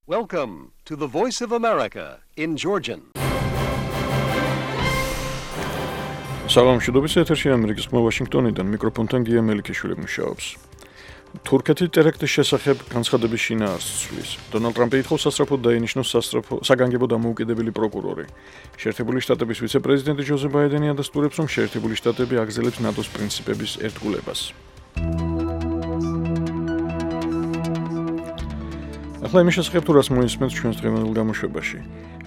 Welcome to the Voice of America in Georgian. Salam შედობის ეთერში ამერიკის ხმა ვაშინგტონიდან მიკროფონთან გია მელიქიშვილი მუშაობს. თურქეთის ტერაქტის შესახებ განცხადების შინაარსს ცვლის. დონალდ ტრამპი ითხოვს სასწრაფოდ დაინიშნოს საგანგებო დამოუკიდებელი პროკურორი. შეერთებული შტატების ვიცე-პრეზიდენტი ჯოზე ბაიდენი ადასტურებს, რომ შეერთებული შტატები აგრძელებს ნატოს პრინციპების ერთგულებას. ახლა იმის შესახებ თუ რას მოისმენთ ჩვენს დღევანდელ გამოშვებაში.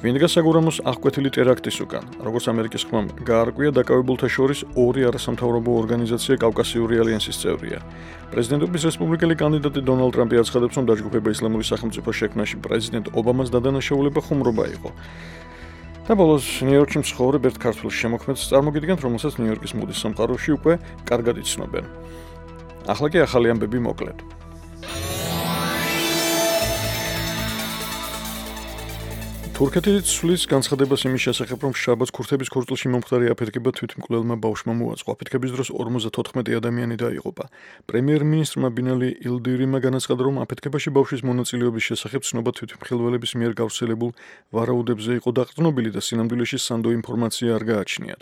ვინ დგას საგურამოს აღკვეთილი ტერაქტის უკან? როგორც ამერიკის ხმამ გაარკვია, დაკავებულთა შორის ორი არასამთავრობო ორგანიზაცია კავკასიური ალიანსის წევრია. პრეზიდენტობის რესპუბლიკელი კანდიდატი დონალდ ტრამპი აცხადებს, რომ დაჯგუფება ისლამური სახელმწიფოს შექმნაში პრეზიდენტ ობამას დადანაშაულება ხუმრობა იყო. და ბოლოს ნიუ-იორკში მცხოვრებ ერთ ქართველ შემოქმედს წარმოგიდგენთ, რომელსაც ნიუ-იორკის მუდის სამყაროში უკვე კარგად იცნობენ. ახლა კი ახალი ამბები მოკლედ. თურქეთი ცვლის განცხადებას იმის შესახებ, რომ შაბათს ქურთების ქორწილში მომხდარი აფეთქება თვითმკვლელმა ბავშვმა მოაწყო. აფეთქების დროს 54 ადამიანი დაიღუპა. პრემიერ-მინისტრმა ბინალი ილდირიმმა განაცხადა, რომ აფეთქებაში ბავშვის მონაწილეობის შესახებ ცნობა თვითმხილველების მიერ გავრცელებულ ვარაუდებზე იყო დაყრდნობილი და სინამდვილეში სანდო ინფორმაცია არ გააჩნიათ.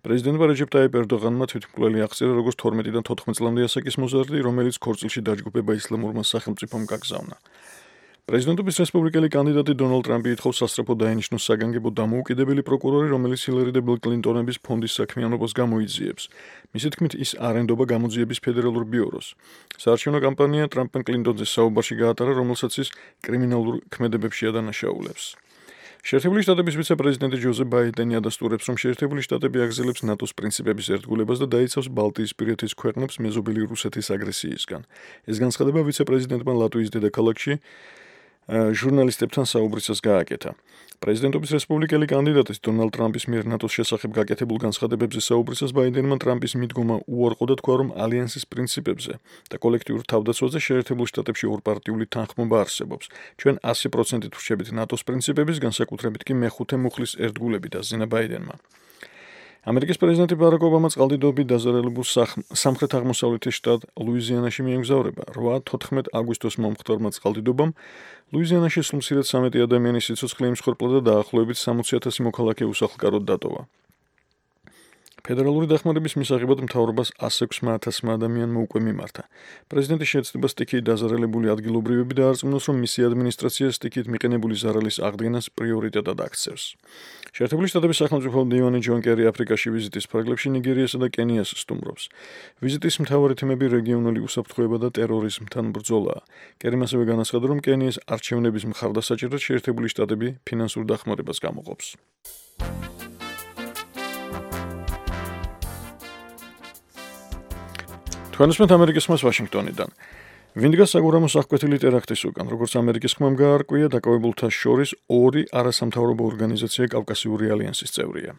პრეზიდენტმა რეჯეპ ტაიპ ერდოღანმა თვითმკვლელი აღწერა, როგორც 12-დან 14 წლამდე ასაკის მოზარდი, რომელიც ქორწილში დაჯგუფება ისლამურმა სახელმწიფომ გაგზავნა. პრეზიდენტობის რესპუბლიკელი კანდიდატი დონალდ ტრამპი ითხოვს სასწრაფოდ დაინიშნოს საგანგებო დამოუკიდებელი პროკურორი, რომელიც ჰილარი და ბილ კლინტონების ფონდის საქმიანობას გამოიძიებს. მისი თქმით, ის არ ენდობა გამოძიების ფედერალურ ბიუროს. საარჩევნო კამპანია ტრამპ კლინტონზე საუბარში გაატარა, რომელსაც ის კრიმინალურ ქმედებებში ადანაშაულებს. შეერთებული შტატების ვიცე-პრეზიდენტი ჯოზე ბაიდენი ადასტურებს, რომ შეერთებული შტატები აგრძელებს ნატოს პრინციპების ერთგულებას და დაიცავს ბალტიისპირეთის ქვეყნებს მეზობელი რუსეთის აგრესიისგან. ეს განცხადება ვიცე-პრეზიდენტმა ლატვიის დედაქალაქში ჟურნალისტებთან საუბრისას გააკეთა. პრეზიდენტობის რესპუბლიკელი კანდიდატის დონალდ ტრამპის მიერ ნატოს შესახებ გაკეთებულ განცხადებებზე საუბრისას ბაიდენმა ტრამპის მიდგომა უარყო და თქვა, რომ ალიანსის პრინციპებზე და კოლექტიურ თავდაცვაზე შეერთებულ შტატებში ორპარტიული თანხმობა არსებობს. ჩვენ 100%-ით ვრჩებით ნატოს პრინციპების, განსაკუთრებით კი მეხუთე მუხლის ერთგულებით, აზინა ბაიდენმა. ამერიკის პრეზიდენტი ბარაკ ობამა წყალდიდობით დაზარალებულ სამხრეთ-აღმოსავლეთის შტატ ლუიზიანაში მიემგზავრება. 8-14 აგვისტოს მომხდარმა წყალდიდობამ ლუიზიანაში სულ მცირედ 13 ადამიანის სიცოცხლე იმსხვერპლა და დაახლოებით 60,000 მოქალაქე უსახლკაროდ დატოვა. ფედერალური დახმარების მისაღებად მთავრობას 106,000 ადამიანმა უკვე მიმართა. პრეზიდენტი შეეცდება სტიქიით დაზარალებული ადგილობრივები დაარწმუნოს, რომ მისი ადმინისტრაცია სტიქიით მიყენებული ზარალის აღდგენას პრიორიტეტად აქცევს. შეერთებული შტატების სახელმწიფო მდივანი ჯონ კერი აფრიკაში ვიზიტის ფარგლებში ნიგერიასა და კენიას სტუმრობს. ვიზიტის მთავარი თემები რეგიონული უსაფრთხოება და ტერორიზმთან ბრძოლაა. კერიმ ასევე განაცხადა, რომ კენიის არჩევნების მხარდასაჭერად შეერთებული შტატები ფინანსურ დახმარებას გამოყოფს. თქვენსმენთ ამერიკის ხმას ვაშინგტონიდან. ვინ დგას საგურამოს აღკვეთილი ტერაქტის უკან? როგორც ამერიკის ხმამ გაარკვია, დაკავებულთა შორის ორი არასამთავრობო ორგანიზაცია კავკასიური ალიანსის წევრია.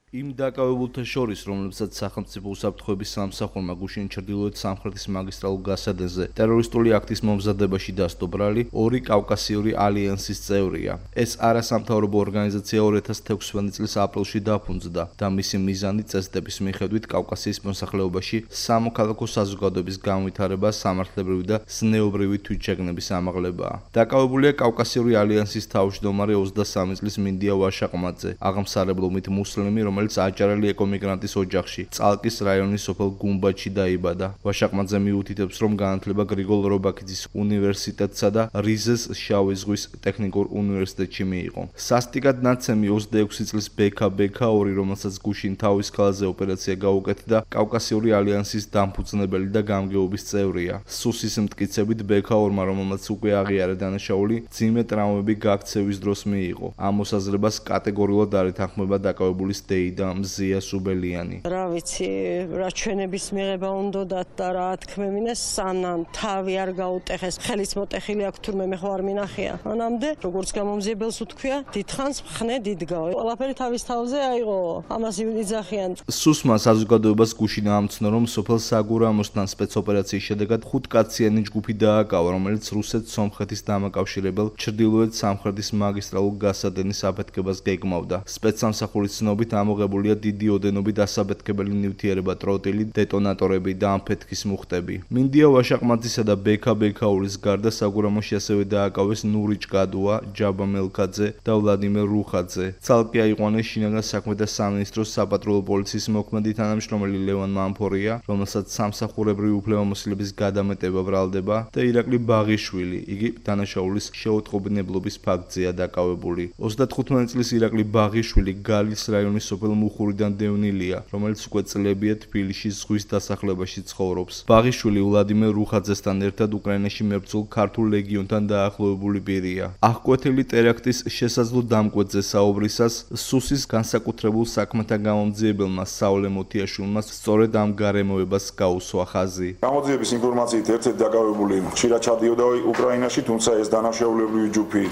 იმ დაკავებულთა შორის, რომლებსაც სახელმწიფო უსაფრთხოების სამსახურმა გუშინ ჩრდილოეთ სამხრეთის მაგისტრალურ გასადენზე ტერორისტული აქტის მომზადებაში დასდო ბრალი, ორი კავკასიური ალიანსის წევრია. ეს არასამთავრობო ორგანიზაცია 2016 წლის აპრილში დაფუძნდა და მისი მიზანი წესდების მიხედვით კავკასიის მოსახლეობაში სამოქალაქო საზოგადოების განვითარება, სამართლებრივი და ზნეობრივი თვითშეგნების ამაღლებაა. დაკავებულია კავკასიური ალიანსის თავმჯდომარე 23 წლის მინდია ვაშაყმაძე, აღმსარებლობით მუსლიმი, რომელიც აჭარელი ეკომიგრანტის ოჯახში, წალკის რაიონის სოფელ გუმბათში დაიბადა. ვაშაყმაძე მიუთითებს, რომ განათლება გრიგოლ რობაქიძის უნივერსიტეტსა და რიზეს შავი ზღვის ტექნიკურ უნივერსიტეტში მიიღო. სასტიკად ნაცემი 26 წლის ბექა-2, რომელსაც გუშინ თავის ქალზე ოპერაცია გაუკეთდა, კავკასიური ალიანსის დამფუძნებელი და გამგეობის წევრია. სუსის მტკიცებით ბექა-2, რომელმაც უკვე აღიარა დანაშაული, ძიმე ტრავმები გაქცევის დროს მიიღო. ამ მოსაზრებას კატეგორიულად არ ეთანხმება დაკავებულის დეი და მზია სუბელიანი. რა ვიცი, რა ჩვენების მიღება უნდათ და რა თქმევინეს, სანამ თავი არ გაუტეხეს, ხელის მოტეხილი აქვს თურმე მე ხო არ მინახია. მანამდე, როგორც გამომძიებელს უთქვია, დიდხანს მხნე დიდგავ. ყველაფერი თავის თავზე აიღო, ამას იძახიან. სუსმა საზოგადოებას გუშინ ამცნო, რომ სოფელ საგურამოსთან სპეცოპერაციის შედეგად 5 კაციანი ჯგუფი დააკავა, რომელიც რუსეთ-სომხეთის დამაკავშირებელ ჩრდილოეთ სამხრეთის მაგისტრალურ გასადენის აფეთქებას გეგმავდა. სპეცსამსახურის ცნობით ამ გამოყენებულია დიდი ოდენობით დასაბეთქებელი ნივთიერება, ტროტილი, დეტონატორები და ამფეთქის მუხტები. მინდია ვაშაყმაძისა და ბექა ბექაულის გარდა საგურამოში ასევე დააკავეს ნური ჭკადუა, ჯაბა მელქაძე და ვლადიმერ რუხაძე. ცალკე აიყვანეს შინაგან საქმეთა სამინისტროს საპატრულო პოლიციის მოქმედი თანამშრომელი ლევან მამფორია, რომელსაც სამსახურებრივი უფლებამოსილების გადამეტება ბრალდება და ირაკლი ბაღიშვილი, იგი დანაშაულის შეუტყობინებლობის ფაქტზეა დაკავებული. 35 წლის ირაკლი ბაღიშვილი გალის რაიონის სოფელ მუხურიდან დევნილია, რომელიც უკვე წლებია თბილისში ზღვის დასახლებაში ცხოვრობს. ბაღიშვილი ვლადიმერ რუხაძესთან ერთად უკრაინაში მებრძოლ ქართულ ლეგიონთან დაახლოებული პირია. აღკვეთილი ტერაქტის შესაძლო დამკვეთზე საუბრისას სუსის განსაკუთრებულ საქმეთა გამომძიებელმა საოლე მოთიაშვილმა სწორედ ამ გარემოებას გაუსვა ხაზი. გამოძიების ინფორმაციით ერთ-ერთი დაკავებული ხშირად ჩადიოდა უკრაინაში, თუმცა ეს დანაშაულებრივი ჯგუფი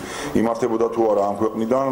იმართებოდა თუ არა ამ ქვეყნიდან,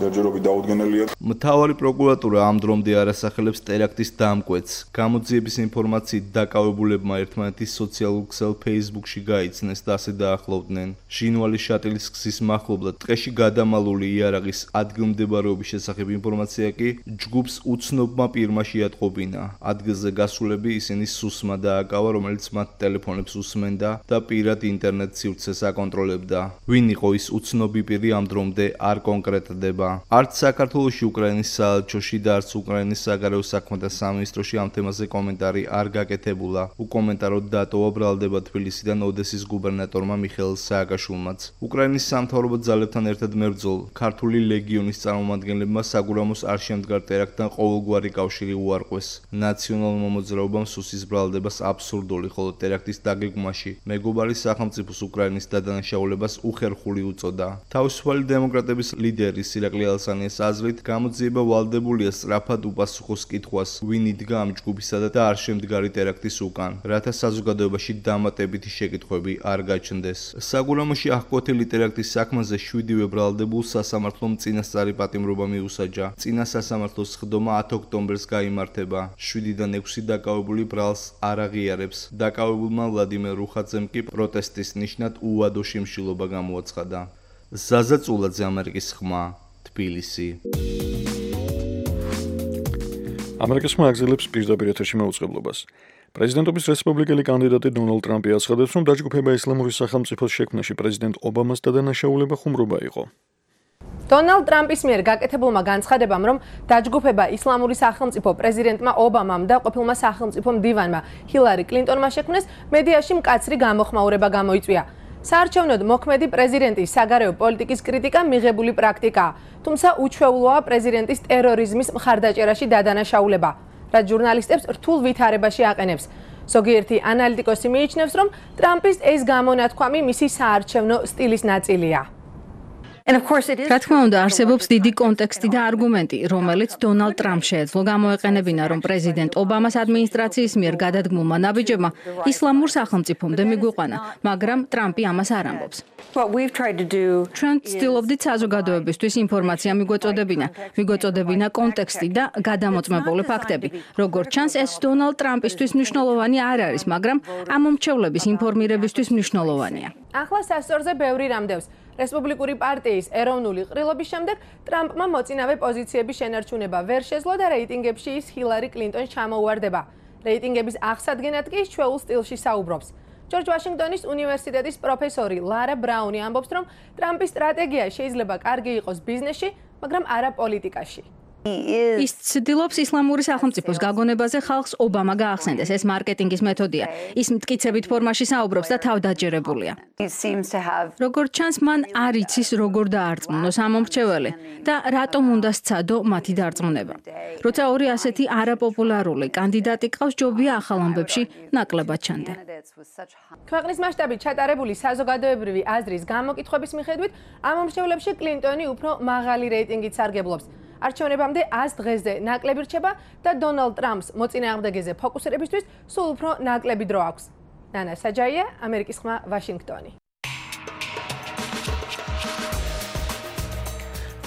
ჯერჯერობით დაუდგენელია. მთავარი პროკურატურა ამ დრომდე არ ასახელებს ტერაქტის დამკვეთს. გამოძიების ინფორმაციით დაკავებულებმა ერთმანეთის სოციალურ ქსელ Facebook-ში გაიცნეს და ასე დაახლოვდნენ. ჟინვალი შატილის გზის მახლობლად ტყეში გადამალული იარაღის ადგილმდებარეობის შესახებ ინფორმაცია კი ჯგუფს უცნობმა პირმა შეატყობინა. ადგილზე გასულები ისინი სუსმა დააკავა, რომელიც მათ ტელეფონებს უსმენდა და პირად ინტერნეტ სივრცეს აკონტროლებდა. ვინ იყო ის უცნობი პირი ამ დრომდე არ კონკრეტდება. არც საქართველოში უკრაინის საელჩოში და არც უკრაინის საგარეო საქმეთა სამინისტროში ამ თემაზე კომენტარი არ გაკეთებულა. უკომენტაროდ დატოვა ბრალდება თბილისიდან ოდესის გუბერნატორმა მიხეილ სააკაშვილმაც. უკრაინის სამთავრობო ძალებთან ერთად მებრძოლ ქართული ლეგიონის წარმომადგენლებმა საგურამოს არ შემდგარ ტერაქტთან ყოველგვარი კავშირი უარყვეს. ნაციონალურმა მოძრაობამ სუსის ბრალდებას აბსურდული, ხოლო ტერაქტის დაგეგმვაში მეგობარი სახელმწიფოს უკრაინის დადანაშაულებას უხერხული უწოდა. თავისუფალი დემოკრატების ლიდერის ირაკლი ალსანიას აზრით, გამოძიება ვალდებულია სწრაფად უპასუხოს კითხვას, ვინ იდგა ამ ჯგუფისა და არ შემდგარი ტერაქტის უკან, რათა საზოგადოებაში დამატებითი შეკითხვები არ გაჩნდეს. საგურამოში აღკვეთილი ტერაქტის საქმეზე 7-ვე ბრალდებულს სასამართლომ წინასწარი პატიმრობა მიუსაჯა. წინა სასამართლოს სხდომა 10 ოქტომბერს გაიმართება. 7-დან 6 დაკავებული ბრალს არ აღიარებს. დაკავებულმა ვლადიმერ რუხაძემ კი პროტესტის ნიშნად უვადო შიმშილობა გამოაცხადა. ზაზა წულაძე, ამერიკის ხმა, თბილისი. ამერიკის ხმა აგზელებს პირდაპირ ეთერში მაუწყებლობას. პრეზიდენტობის რესპუბლიკელი კანდიდატი დონალდ ტრამპი აცხადებს, რომ დაჯგუფება ისლამური სახელმწიფოს შექმნაში პრეზიდენტ ობამას დადანაშაულება ხუმრობა იყო. დონალდ ტრამპის მიერ გაკეთებულმა განცხადებამ, რომ დაჯგუფება ისლამური სახელმწიფო პრეზიდენტმა ობამამ და ყოფილმა სახელმწიფო მდივანმა ჰილარი კლინტონმა შექმნეს, მედიაში მკაცრი გამოხმაურება გამოიწვია. საარჩევნოდ მოქმედი პრეზიდენტის საგარეო პოლიტიკის კრიტიკა მიღებული პრაქტიკაა, თუმცა უჩვეულოა პრეზიდენტის ტერორიზმის მხარდაჭერაში დადანაშაულება, რაც ჟურნალისტებს რთულ ვითარებაში აყენებს. ზოგიერთი ანალიტიკოსი მიიჩნევს, რომ ტრამპის ეს გამონათქვამი მისი საარჩევნო სტილის ნაწილია. რა თქმა უნდა, არსებობს დიდი კონტექსტი და არგუმენტი, რომელიც დონალდ ტრამპს შეეძლო გამოეყენებინა, რომ პრეზიდენტ ობამას ადმინისტრაციის მიერ გადადგმულმა ნაბიჯებმა ისლამურ სახელმწიფომდე მიგვიყვანა, მაგრამ ტრამპი ამას არ ამბობს. ჩვენ ვცდილობდით საზოგადოებისთვის ინფორმაცია მიგვეწოდებინა კონტექსტი და გადამოწმებული ფაქტები. როგორც ჩანს, ეს დონალდ ტრამპისთვის მნიშვნელოვანი არ არის, მაგრამ ამ მომრჩევლების ინფორმირებისთვის მნიშვნელოვანია. ახლა სასწორზე ბევრი რამდევს. რესპუბლიკური პარტიის ეროვნული ყრილობის შემდეგ ტრამპმა მოწინავე პოზიციების შენარჩუნება ვერ შეძლო და რეიტინგებში ის ჰილარი კლინტონს ჩამოუვარდება. რეიტინგების აღსადგენად კი ის ჩვეულ სტილში საუბრობს. ჯორჯ ვაშინგტონის უნივერსიტეტის პროფესორი ლარა ბრაუნი ამბობს, რომ ტრამპის სტრატეგია შეიძლება კარგი იყოს ბიზნესში, მაგრამ არა პოლიტიკაში. ის ცდილობს ისლამური სახელმწიფოს გაგონებაზე ხალხს ობამა გაახსენდეს. ეს მარკეტინგის მეთოდია. ის მტკიცებით ფორმაში საუბრობს და თავდაჯერებულია. როგორც ჩანს, მან არ იცის როგორ დაარწმუნოს ამ მომრჩეველი და რატომ უნდა სცადო მათი დარწმუნება. როცა ორი ასეთი არაპოპულარული კანდიდატი ყავს, ჯობია ახალ ამბებში ნაკლებად ჩანდე. ქვეყნის მასშტაბით ჩატარებული საზოგადოებრივი აზრის გამოკითხვების მიხედვით, ამ მომრჩევლებში კლინტონი უფრო მაღალი რეიტინგით სარგებლობს. არჩევნებამდე 100 დღეზე ნაკლები რჩება და დონალდ ტრამპს მოწინააღმდეგეზე ფოკუსირებისთვის სულ უფრო ნაკლები დრო აქვს. ნანა საჯაია, ამერიკის ხმა, ვაშინგტონი.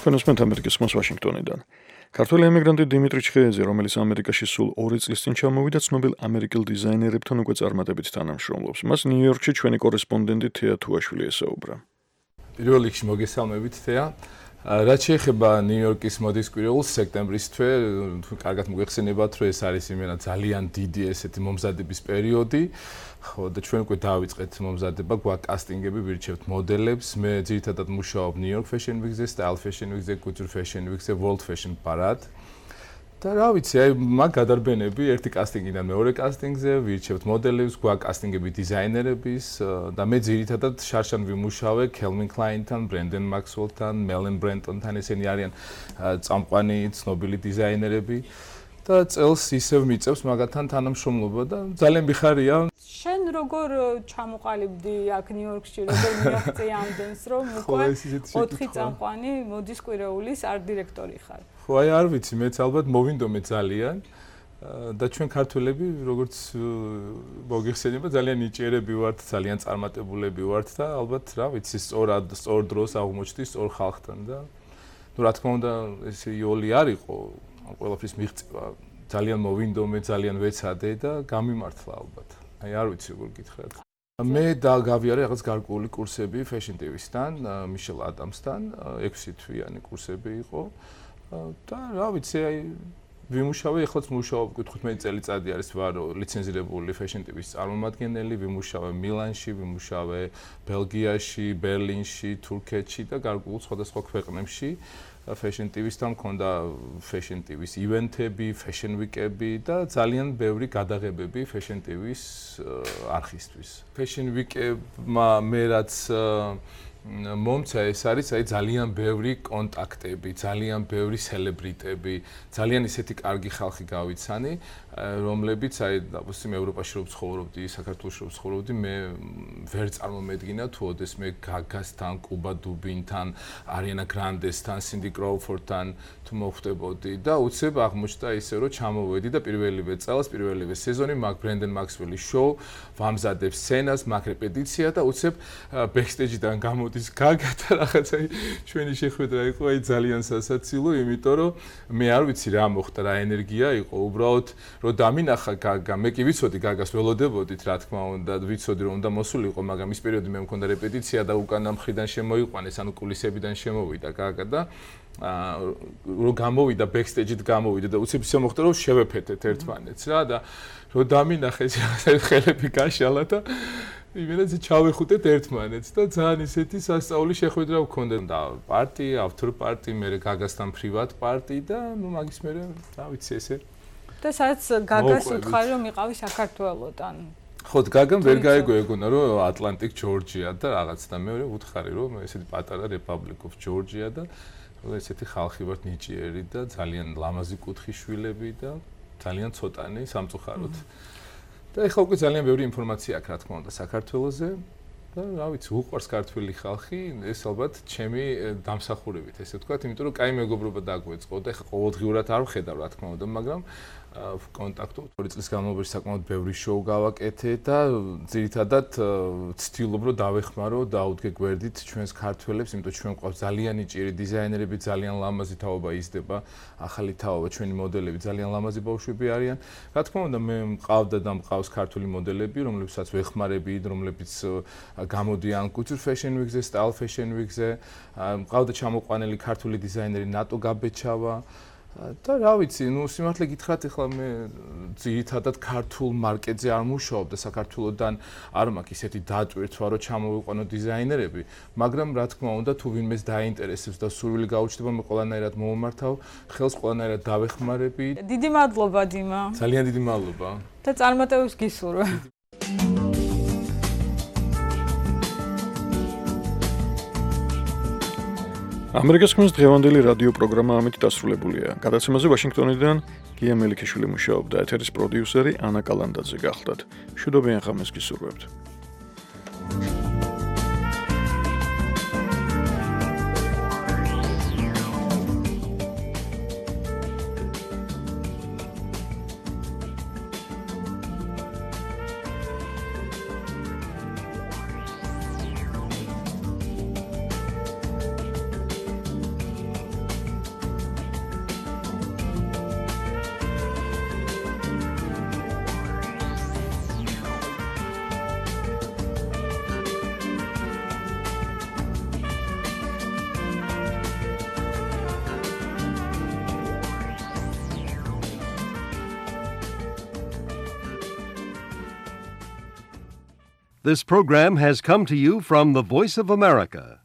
თქვენოსმენთ ამერიკის ხმას ვაშინგტონიდან. ქართველი ემიგრანტი დიმიტრი ჩხეიძე, რომელიც ამერიკაში სულ 2 წლის წინ ჩამოვიდა, ცნობილ ამერიკელ დიზაინერებთან უკვე წარმატებით თანამშრომლობს. მას ნიუ-იორკში ჩვენი კორესპონდენტი თეა თუაშვილი ესაუბრა. პირველ რიგში მოგესალმებით თეა. რაც შეეხება ნიუ-იორკის მოდის კვირეულს სექტემბრის თვე, კარგად მოგეხსენებათ, რომ ეს არის იმენა ძალიან დიდი ესეთი მომზადების პერიოდი. ხო და ჩვენ უკვე დავიწყეთ მომზადება, გვაქვს კასტინგები, ვირჩევთ მოდელებს. მე ძირითადად მუშაობ New York Fashion Week-ზე, Style Fashion Week-ზე, Couture Fashion Week-ზე, World Fashion Parade. და რა ვიცი, აი მაგ გადარბენები ერთი კასტინგიდან მეორე კასტინგზე, ვირჩევთ მოდელებს, გვაქვს კასტინგები დიზაინერების და მე ძირითადად შარშან ვიმუშავე Calvin Klein-თან, Brandon Maxwell-თან, Melanie Branton-თან, ესენი არიან წამყვანი ცნობილი დიზაინერები. და წელს ისევ მიწევს მაგათთან თანამშრომლობა და ძალიან მიხარია. შენ როგორ ჩამოყალიბდი აქ ნიუ-იორკში, როგორ მიაღწია ამდენს, რომ უკვე 4 წამყვანი მოდის კვირეულის ართ-დირექტორი ხარ? ხო, აი არ ვიცი, მეც ალბათ მოვინდომე ძალიან და ჩვენ ქართველები, როგორც მოგიხსენება, ძალიან ნიჭიერები ვართ, ძალიან წარმატებულები ვართ და ალბათ რა ვიცი, სწორ დროს აღმოჩნდი სწორ ხალხთან და ნუ რა თქმა უნდა, ეს იოლი არ იყო ყველაფრის მიღწევა ძალიან მოვინდომე, ძალიან ვეცადე და გამიმართლა ალბათ. აი არ ვიცი როგორ გითხრათ. მე გავიარე რაღაც გარკვეული კურსები Fashion TV-სთან, Michelle Adams-თან, 6 თვიანი კურსები იყო. და რა ვიცი, აი ვიმუშავე, ეხლაც მუშაობ 15 წელიწადი არის ვარ ლიცენზირებული Fashion TV-ის წარმომადგენელი, ვიმუშავე მილანში, ვიმუშავე ბელგიაში, ბერლინში, თურქეთში და გარკვეულ სხვადასხვა ქვეყნებში. Fashion TV-სთან მქონდა Fashion TV-ის ივენთები, Fashion Week-ები და ძალიან ბევრი გადაღებები Fashion TV-ის არხისთვის. Fashion Week-მა მე რაც მომცა ეს არის აი ძალიან ბევრი კონტაქტები, ძალიან ბევრი სელებრიტები, ძალიან ისეთი კარგი ხალხი გავიცანი, რომლებიც აი დაპოსტიმ ევროპაში რო ცხოვრობდი, საქართველოში რო ცხოვრობდი, მე ვერ წარმომედგინა თუ ოდეს მე გაგასთან, კუბა დუბინთან, არიანა გრანდესთან, სინდი კროუფორდთან თუ მოხვდებოდი და უცებ აღმოჩნდა ისე რომ ჩამოვედი და პირველივე წელს, პირველივე სეზონი მაგ Brandon Maxwell-ის შოუ ვამზადებ სცენას, მაგ რეპეტიცია და უცებ ბექსტეიჯიდან გამოდის გაგა და რაღაცა ჩვენი შეხვედრა იყო აი ძალიან სასაცილო, იმიტომ რომ მე არ ვიცი რა მოხდა, რა ენერგია იყო, უბრალოდ რომ დამინახა გაგა, მე კი ვიცოდი გაგას ველოდებოდით, რა თქმა უნდა, ვიცოდი რომ უნდა მოსულიყო, მაგრამ ის პერიოდი მე მქონდა რეპეტიცია და უკანა მხრიდან შემოიყვანეს, ანუ კულისებიდან შემოვიდა გაგა და რომ გამოვიდა ბექსტეიჯით გამოვიდა და უცებ ისე მოხდა რომ შევეფეთეთ ერთმანეთს რა და რომ დამინახეს ხელები გაშალა და იმენაც ჩავეხუტეთ ერთმანეთს და ძალიან ისეთი სასწაული შეხვედრა ვქონდა და პარტი, ავთორ პარტი, მე გაგასთან პრივატ პარტი და ნუ მაგის მე რა ვიცი ესე და სადაც გაგას უთხარი რომ იყავი საქართველოსთან ხო გაგამ ვერ გაეგო ეგონა რომ ატლანტიკ ჯორჯია და რაღაც და მე ვუთხარი რომ ესეთი პატარა Republic of Georgia და ესეთი ხალხი ვართ ნიჭიერი და ძალიან ლამაზი კუთხის შვილები და ძალიან ცოტანი სამწუხაროდ და ეხლა უკვე ძალიან ბევრი ინფორმაცია აქვს რა თქმა უნდა საქართველოზე და რა ვიცი უყვარს ქართველი ხალხი ეს ალბათ ჩემი დამსახურებით ესე ვთქვათ იმიტომ რომ კაი მეგობრობა დაგვეწყო და ეხლა ყოველდღიურად არ ვხედავ რა თქმა უნდა მაგრამ კონტაქტო 2 წლის განმავლობაში საკმაოდ ბევრი შოუ გავაკეთე და ძირითადად ვცდილობ რომ დავეხმარო დაუდგე გვერდით ჩვენს ქართველებს იმიტომ ჩვენ გვყავს ძალიან ნიჭიერი დიზაინერები ძალიან ლამაზი თაობა იზრდება ახალი თაობა ჩვენი მოდელები ძალიან ლამაზი ბავშვები არიან რა თქმა უნდა მე მყავდა და მყავს ქართული მოდელები რომლებსაც ვეხმარები რომლებიც გამოდიან Couture Fashion Week-ზე Style Fashion Week-ზე მყავდა ჩამოყვანილი ქართული დიზაინერი ნატო გაბეჩავა და რა ვიცი, ნუ სიმართლე გითხრათ, ეხლა მე ძირითადად ქართულ მარკეტზე არ მუშაობ და საქართველოსთან არ მაქვს ისეთი დატვირთვა, რომ ჩამოვიყვანო დიზაინერები, მაგრამ რა თქმა უნდა, თუ ვინმეს დაინტერესებს და სურვილი გაუჩნდება, მე ყველანაირად მომმართავ, ხელს ყველანაირად დავეხმარები. დიდი მადლობა, დიმა. ძალიან დიდი მადლობა. და წარმატებებს გისურვებ. ამერიკის ხმის დღევანდელი რადიო პროგრამა ამით დასრულებულია. გადაცემაზე ვაშინგტონიდან გია მელიქიშვილი მუშაობდა, ეთერის პროდიუსერი ანა კალანდაძე გახლდათ. მშვიდობიან ხამეს გისურვებთ. This program has come to you from the Voice of America,